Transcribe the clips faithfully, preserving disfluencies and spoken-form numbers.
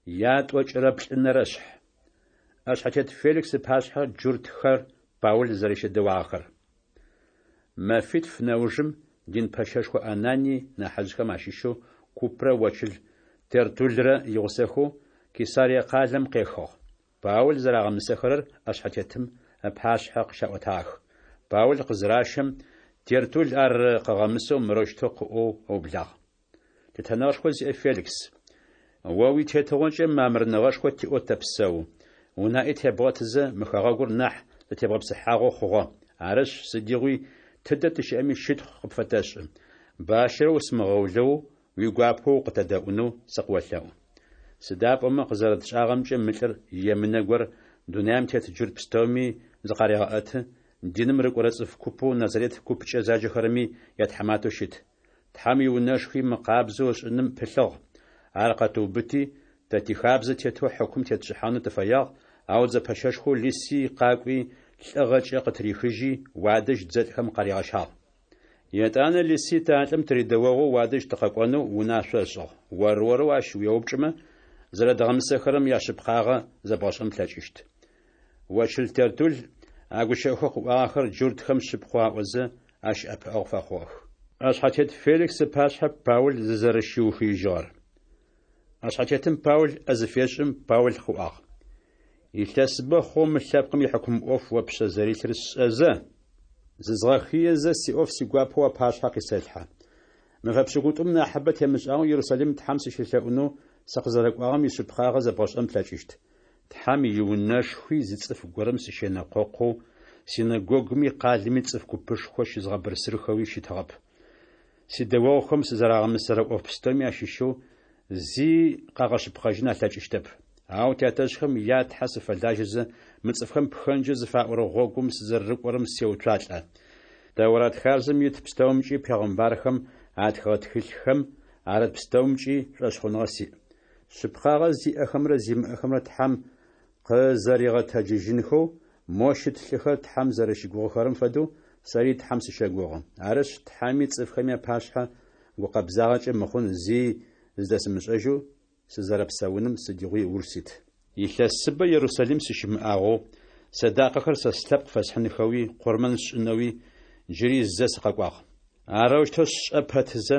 Ятӏокӏырэ плӏынэрэ шъхь. Ӏэшъхьэтет Феликс ыпашъхьэ джуртхэр Паул зэрэщедэуагъэхэр. Мэфитф нэужым дин пэщэшхо Ананий нахьыжъхэм ащыщэу купрэ очыл Тертуллрэ игъусэхэу Кесарие къалэм къехыгъ. Паул зэрагъэмысэхэрэр ӏэшъхьэтетым ыпашъхьэ къыщаӏотагъэх. Паул къызыращэм, Тертулл ар къыгъэмысэу мырэущтэу къыӏоу ыублагъ: Лъытэныгъэшхо зиӏэ Феликс, о уитетыгъокӏэ мамырныгъэшхо тиӏэу тэпсэу, унаӏи тебгъэтызэ, мы хэгъэгур нахь зэтегъэпсыхьагъэу хъугъэ. Арышъ, сыдигъуи, тыдэ тыщыӏэми щытхъу къыпфэтэшӏы. Бащэрэ усымыгъэулэоу, уигуапэу укъытэдэӏунэу сыкъыолъэӏу. Сыда пӏомэ къызэрэтшӏагъэмкӏэ мы лӏыр емынэ гор дунаим тет джурт пстэуми зыкъарегъэӏэты, диным рыкӏорэ цӏыф купэу Назарет купкӏэ заджэхэрэми ятхьаматэу щыт. Тхьэм иунэшхуи мыкъабзэу ышӏыным пылъыгъ. Ар къэтыубыти, тэ тихабзэ тетэу хьыкум тетшӏыхьанэу тыфэягъ, ау дзэ пэщэшхоу Лисий къакӏуи, лӏыгъэкӏэ къытырихыжьи, уадэжь дзэлӏхэм къаригъэщагъ. Етӏанэ Лисий тэ а лӏым тыридэогъоу уадэжь тыкъэкӏонэу унашъо ышӏыгъ. Ор-орэу ащ уеупчӏымэ, зэрэдгъэмысэхэрэм яшъыпкъагъэ зэбгъэшӏэн плъэкӏыщт. Очыл Тертулл а гущыӏэхэу къыӏуагъэхэр джуртхэм шъыпкъэу аӏозэ, ащ ӏэпыӏэгъу фэхъугъэх. Ӏэшъхьэтет Феликс ыпашъхьэ Паул зызэрэщиухыижьыгъэр. Ӏэшъхьэтетым Паул ӏэ зыфешӏым, Паул къыӏуагъ: Илъэсыбэ хъугъэу мы лъэпкъым ихьыкум ӏоф о пшъэ зэрилъыр сшӏэзэ, зызгъэхыезэ сиӏоф сигуапэу уапашъхьэ къисэлъхьэ. Мэфэ пшӏыкӏутӏум нахьыбэ темышӏагъэу Ерусалим Тхьэм сыщелъэӏунэу сыкъызэрэкӏуагъэм ишъыпкъагъэ зэбгъэшӏэн плъэкӏыщт. Тхьэм иунэшхуи зы цӏыф горэм сыщенэкъокъоу, синэгогуми къалэми цӏыф купышхо щызгъэбырсырхэуи щытыгъэп. Сидэогъухэм сызэрагъэмысэрэ ӏоф пстэуми ащыщэу зи къагъэшъыпкъэжьын алъэкӏыщтэп. Ау тятэжъхэм я Тхьэ сыфэлажьэзэ, мы цӏыфхэм пхэнджэу зыфаӏорэ гъогум сызэрэрыкӏорэм сеуцуалӏэ. Тэурат хабзэм ит пстэумкӏи пегъымбархэм атхыгъэ тхылъхэм арыт пстэумкӏи шӏошъхъуныгъэ сиӏ. Шъыпкъагъэ зиӏэхэмрэ зимыӏэхэмрэ Тхьэм къызэригъэтэджыжьынхэу мо щыт лӏыхэр Тхьэм зэрэщыгугъыхэрэм фэдэу сэри Тхьэм сыщэгугъы. Арышъ, Тхьэми цӏыфхэми апашъхьэ гукъэбзагъэкӏэ мыхъун зи зыдэсымышӏэжьэу сызэрэпсэуным сыдигъуи ыуж сит. Илъэсыбэ Ерусалим сыщымыӏагъэу, сэдакъэхэр сэ слъэпкъ фэсхьынхэуи къурмэн сшӏынэуи джыри зэ сыкъэкӏуагъ. Арэущтэу сшӏэ пэтызэ,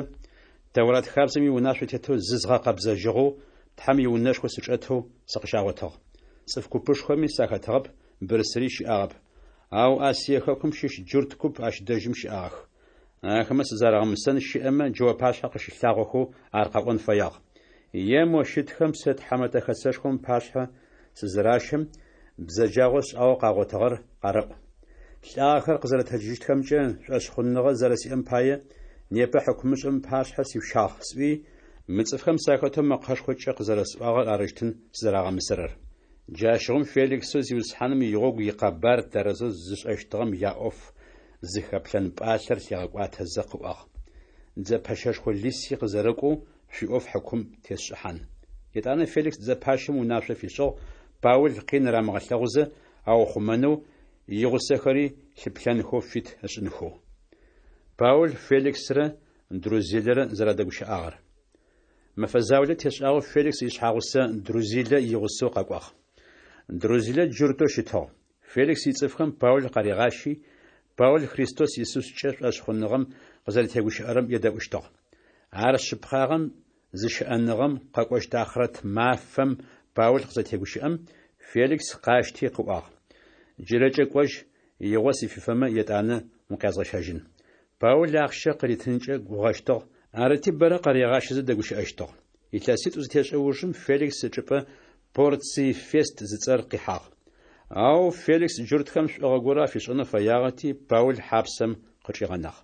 Тэурат хабзэм иунашъо тетэу зызгъэкъэбзэжьыгъэу Тхьэм иунэшхо сычӏэтэу сыкъыщагъотыгъ. Цӏыф купышхоми сахэтыгъэп, бырсыри щыӏагъэп. Ау Асие хэкум щыщ джурт куп ащ дэжьым щыӏагъэх. Ахэмэ сызэрагъэмысэн щыӏэмэ, джы уапашъхьэ къыщылъагъохэу ар къаӏон фэягъ. Е мо щытхэм сэ Тхьэмэтэ Хэсэшхом ыпашъхьэ сызыращэм, бзэджагъэу сшӏагъэу къагъотыгъэр къарэӏу. Лӏагъэхэр къызэрэтэджыжьыщтхэмкӏэ шӏошъхъуныгъэ зэрэсиӏэм пае непэ хьыкумышӏэм ыпашъхьэ сишъущагъ, сӏуи, мы цӏыфхэм сахэтэу мэкъэшхокӏэ къызэрэсӏуагъэр арыщтын сызэрагъэмысэрэр. Джащыгъум Феликсэу Зиусхьаным игъогу икъэбар тэрэзэу зышӏэщтыгъэм яӏоф зыхэплъэн пӏалъэр лъигъэкӏуатэзэ къыӏуагъ: Дзэ пэщэшхо Лисий къызэрэкӏоу шъуиӏоф хьыкум тесшӏыхьан. Етӏанэ Феликс дзэ пащэм унашъо фишӏыгъ Паул къин рамыгъэлъэгъузэ аухъумэнэу, игъусэхэри лъыплъэнхэу фит ышӏынхэу. Паул Феликсрэ Друзиллэрэ зэрадэгущыӏагъэр. Мэфэ заулэ тешӏагъэу Феликс ишъхьагъусэ Друзиллэ игъусэу къэкӏуагъ. Друзиллэ джуртэу щытыгъ. Феликс ицӏыфхэм Паул къаригъащи, Паул Христос Исускӏэ шӏошъхъуныгъэм къызэрэтегущыӏэрэм едэӏущтыгъ. Ар шъыпкъагъэм, зыщыӏэныгъэм, къэкӏощт ахърэт мафэм Паул къызытегущыӏэм, Феликс къащти къыӏуагъ: Джырэкӏэ кӏожь, игъо сыфифэмэ, етӏанэ укъязгъэщэжьын. Паул ахъщэ къыритынкӏэ гугъэщтыгъ, арыти бэрэ къаригъащэзэ дэгущыӏэщтыгъ. Илъэситӏу зытешӏэ ужым Феликс ычӏыпӏэ Порций Фест зыцӏэр къихьагъ. Ау Феликс джуртхэм шӏугъэ горэ афишӏэнэу фэягъэти, Паул хьапсэм къычӏигъэнагъ.